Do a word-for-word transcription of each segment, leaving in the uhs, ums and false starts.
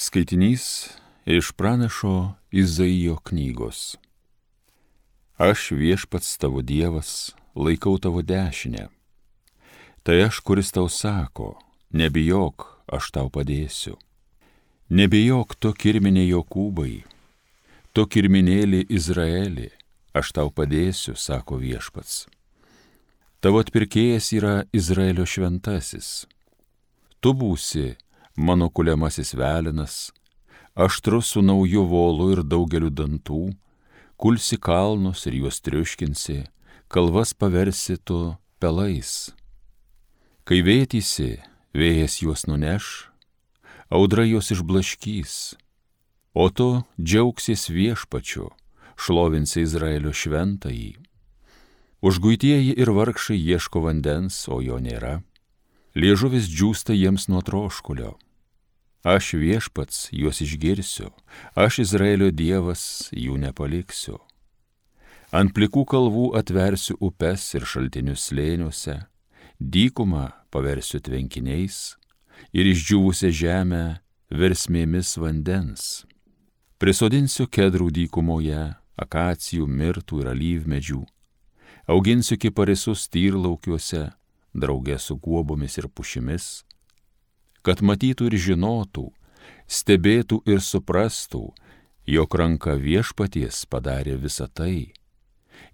Skaitinys iš pranašo Izaijo knygos. Aš viešpats tavo Dievas, laikau tavo dešinę. Tai aš, kuris tau sako, nebijok, aš tau padėsiu. Nebijok tu kirminė Jokūbai, tu kirminėlį Izraelį, aš tau padėsiu, sako viešpats. Tavo atpirkėjas yra Izraelio šventasis. Tu būsi mano kuliamasis velenas, aštrus su nauju volu ir daugeliu dantų, kulsi kalnus ir juos triuškinsi, kalvas paversi tu pelais. Kai vėtysi, vėjas juos nuneš, audra juos išblaškys, o tu džiaugsies viešpačiu, šlovinsi Izraelio šventąjį. Užguitieji ir vargšai ieško vandens, o jo nėra. Liežuvis džiūsta jiems nuo troškulio. Aš viešpats juos išgirsiu, aš Izraelio Dievas jų nepaliksiu. Ant plikų kalvų atversiu upes ir šaltinius slėniuose, dykumą paversiu tvenkiniais ir išdžiūvusią žemę versmėmis vandens. Prisodinsiu kedrų dykumoje, akacijų, mirtų ir alyvmedžių, auginsiu kiparisus tyrlaukiuose, draugė su guobomis ir pušimis, kad matytų ir žinotų, stebėtų ir suprastų, jog ranka viešpaties padarė visą tai,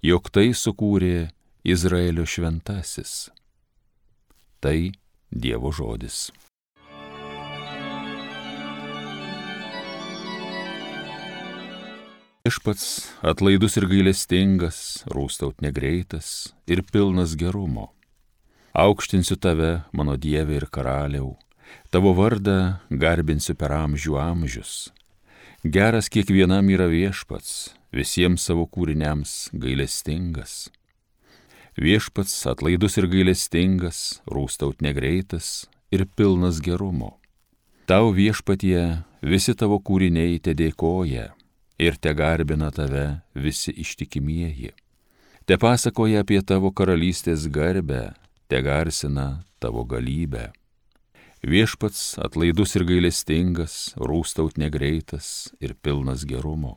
jog tai sukūrė Izraelio šventasis. Tai Dievo žodis. Viešpats atlaidus ir gailestingas, rūstaut negreitas ir pilnas gerumo. Aukštinsiu tave, mano Dieve ir karaliau, tavo vardą garbinsiu per amžių amžius. Geras kiekvienam yra viešpats, visiems savo kūriniams gailestingas. Viešpats atlaidus ir gailestingas, rūstaut negreitas ir pilnas gerumo. Tau viešpatie visi tavo kūriniai te dėkoja ir te garbina tave visi ištikimieji. Te pasakoja apie tavo karalystės garbę, te garsina tavo galybę. Viešpats atlaidus ir gailestingas, rūstaut negreitas ir pilnas gerumo.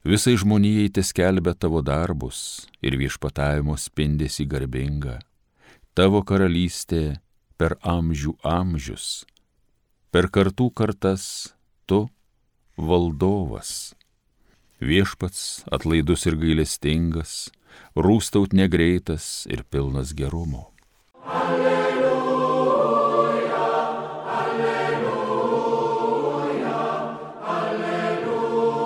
Visai žmonijai te skelbia tavo darbus ir viešpatavimo spindesį garbingą. Tavo karalystė per amžių amžius, per kartų kartas tu valdovas. Viešpats atlaidus ir gailestingas, rūstaut negreitas ir pilnas gerumo. Alleluja, alleluja, alleluja.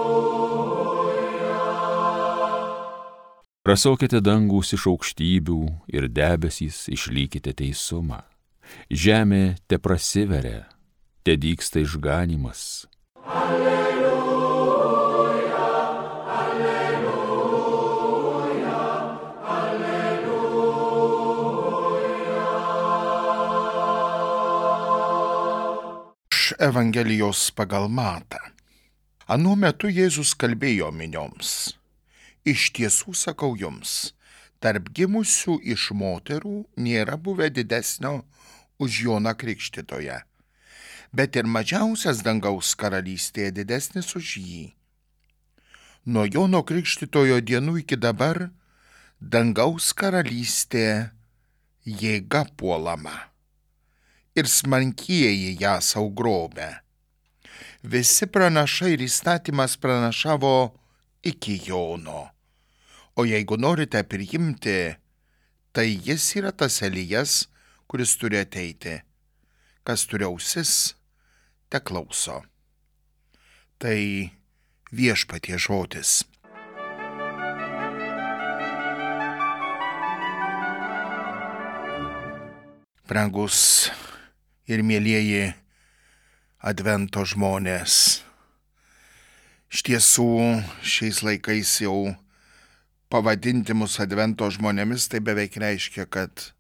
Prasokite dangus iš aukštybių ir debesys išlykite teisumą. Žemė te prasiveria, te dygsta išganimas. Alleluja. Evangelijos pagal Matą. Anuo metu Jėzus kalbėjo minioms. Iš tiesų sakau jums, tarp gimusių iš moterų nėra buvę didesnio už Joną Krikštytoją, bet ir mažiausias dangaus karalystėje didesnis už jį. Nuo Jono Krikštytojo dienų iki dabar dangaus karalystė jėga puolama ir smarkieji ją sau grobia. Visi pranašai ir įstatymas pranašavo iki Jono. O jeigu norite priimti, tai jis yra tas Elijas, kuris turi ateiti. Kas turi ausis, te klauso. Tai viešpaties žodis. Brangus ir mielieji advento žmonės. Iš tiesų, šiais laikais jau pavadinti mus advento žmonėmis, tai beveik reiškia, kad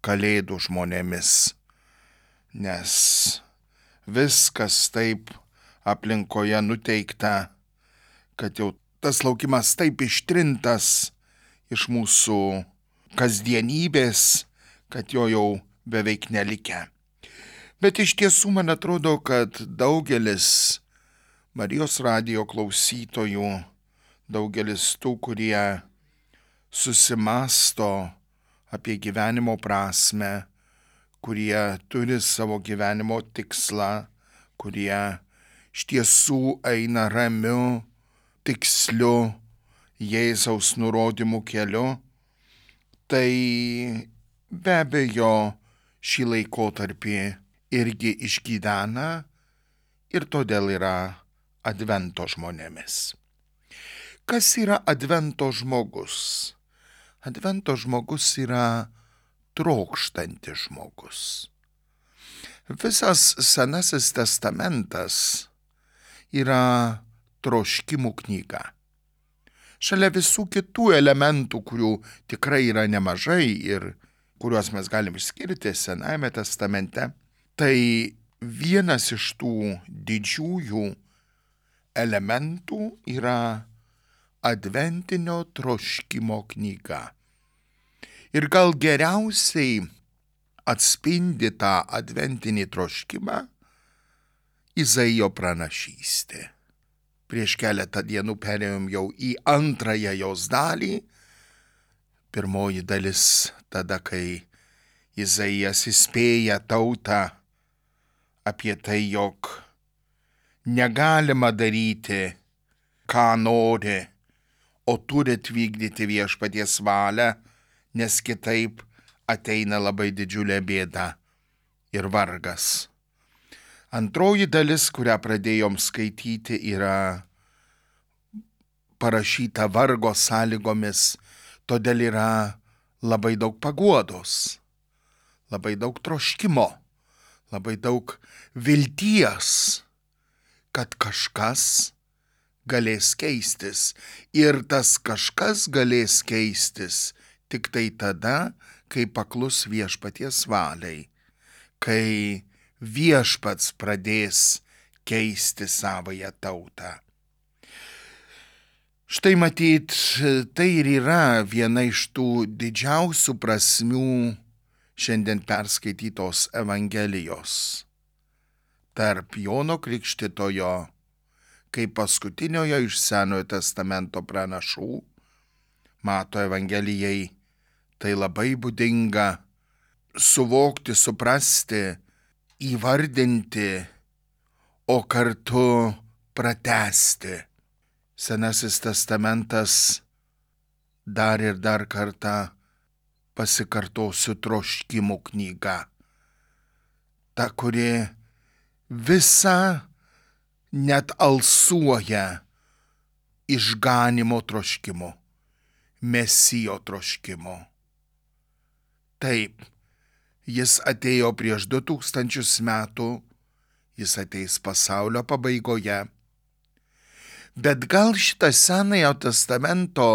kalėdų žmonėmis. Nes viskas taip aplinkoje nuteikta, kad jau tas laukimas taip ištrintas iš mūsų kasdienybės, kad jo jau beveik nelikę. Bet iš tiesų man atrodo, kad daugelis Marijos radijo klausytojų, daugelis tų, kurie susimasto apie gyvenimo prasme, kurie turi savo gyvenimo tikslą, kurie iš tiesų eina ramiu, tiksliu Jėzaus nurodymų keliu, tai be abejo šį laikotarpį irgi išgyvena ir todėl yra Advento žmonėmis. Kas yra Advento žmogus? Advento žmogus yra trokštantis žmogus. Visas Senasis testamentas yra troškimų knyga. Šalia visų kitų elementų, kurių tikrai yra nemažai ir kuriuos mes galim išskirti Senajame testamente, tai vienas iš tų didžiųjų elementų yra adventinio troškimo knyga. Ir gal geriausiai atspindi tą adventinį troškimą Izaijo pranašystė. Prieš keletą dienų perėjom jau į antrąją jos dalį. Pirmoji dalis tada, kai Izaijas įspėja tautą apie tai, jog negalima daryti, ką nori, o turit vykdyti viešpaties valią, nes kitaip ateina labai didžiulė bėda ir vargas. Antroji dalis, kurią pradėjom skaityti, yra parašyta vargo sąlygomis, todėl yra labai daug paguodos, labai daug troškimo, labai daug vilties, kad kažkas galės keistis. Ir tas kažkas galės keistis tik tai tada, kai paklus viešpaties valiai, kai viešpats pradės keisti savąją tautą. Štai matyt, tai ir yra viena iš tų didžiausių prasmių šiandien perskaitytos Evangelijos. Tarp Jono Krikštytojo, kaip paskutiniojo iš Senojo testamento pranašų, Mato Evangelijai tai labai būdinga suvokti, suprasti, įvardinti, o kartu pratęsti. Senasis testamentas dar ir dar kartą pasikartosiu troškimų knyga. Ta, kuri visa net alsuoja išganimo troškimu, Mesijo troškimu. Taip, jis atėjo prieš du tūkstančius metų, jis ateis pasaulio pabaigoje. Bet gal šitą Senojo testamento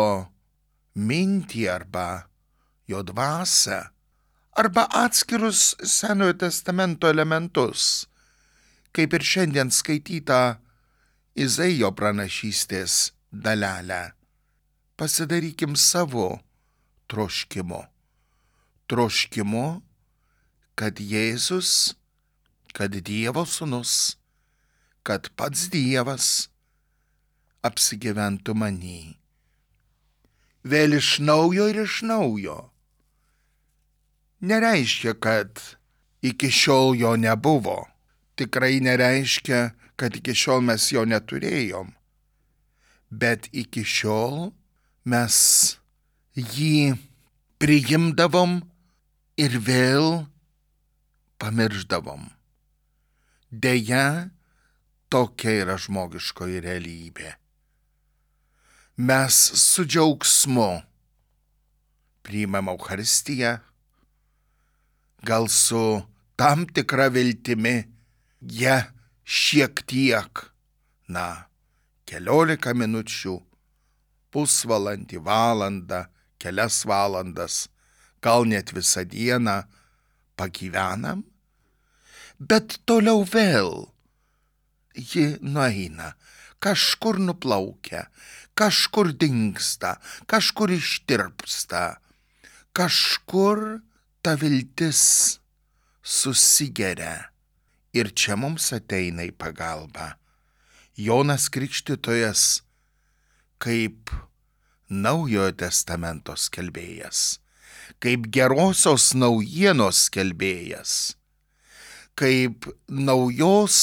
mintį arba jo dvasią, arba atskirus Senojo testamento elementus, kaip ir šiandien skaityta Izaijo pranašystės dalelę, pasidarykim savo troškimu. Troškimu, kad Jėzus, kad Dievo sūnus, kad pats Dievas apsigyventų many. Vėl iš naujo ir iš naujo. Nereiškia, kad iki šiol jo nebuvo. Tikrai nereiškia, kad iki šiol mes jo neturėjom. Bet iki šiol mes jį priimdavom ir vėl pamiršdavom. Deja, tokia yra žmogiškoji realybė. Mes su džiaugsmu priimam Eucharistiją, gal su tam tikra viltimi, ją šiek tiek, na, keliolika minučių, pusvalandį, valandą, kelias valandas, gal net visą dieną pagyvenam, bet toliau vėl ji nueina, kažkur nuplaukia, kažkur dingsta, kažkur ištirpsta, kažkur ta viltis susigeria ir čia mums ateina į pagalbą Jonas Krikštytojas kaip Naujojo testamento skelbėjas, kaip gerosios naujienos skelbėjas, kaip naujos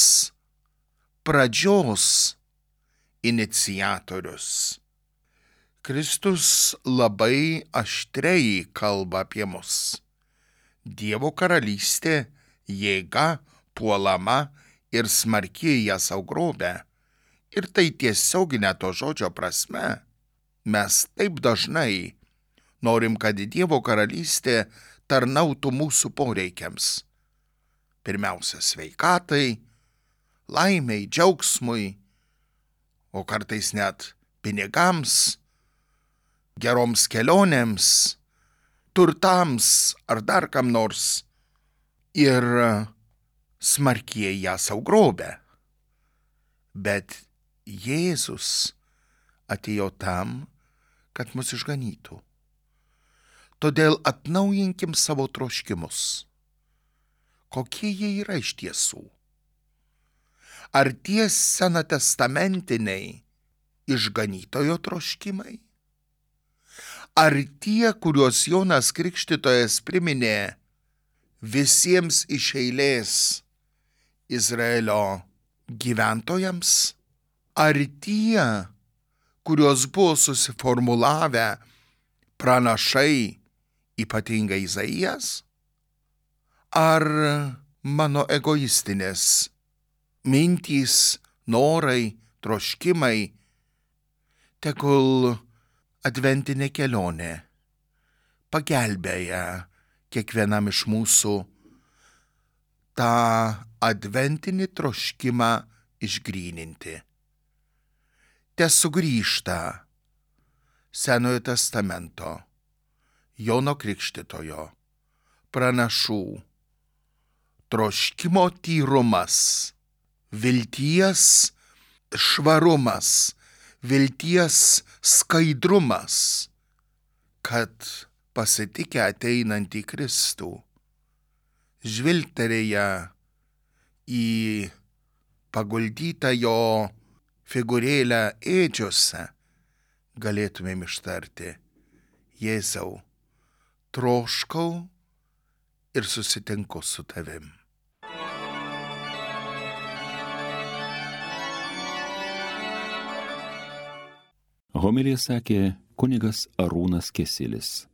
pradžios iniciatorius. Kristus labai aštriai kalba apie mus. Dievo karalystė jėga puolama ir smarkiai ją sau grobia. Ir tai tiesioginė to žodžio prasme. Mes taip dažnai norim, kad Dievo karalystė tarnautų mūsų poreikiams. Pirmiausia, sveikatai, laimei, džiaugsmui, o kartais net pinigams, geroms kelionėms, turtams ar dar kam nors. Ir smarkiai ją sau grobia. Bet Jėzus atėjo tam, kad mus išganytų. Todėl atnaujinkim savo troškimus. Kokie jie yra iš tiesų? Ar tie senatestamentiniai išganytojo troškimai? Ar tie, kuriuos Jonas Krikštytojas priminė visiems iš eilės Izraelio gyventojams? Ar tie, kuriuos buvo susiformulavę pranašai, ypatingai Izaijas? Ar mano egoistinės mintys, norai, troškimai? Tegul adventinė kelionė pagelbėja kiekvienam iš mūsų tą adventinį troškimą išgryninti. Te sugrįžta Senojo testamento, Jono Krikštytojo, pranašų troškimo tyrumas, vilties švarumas, vilties skaidrumas, kad pasitikę ateinantį Kristų, žvilgterėję į paguldytą jo figūrėlę ėdžiose, galėtumėm ištarti: Jėzau, troškau ir susitinku su tavim. Homiliją sakė kunigas Arūnas Kesilis.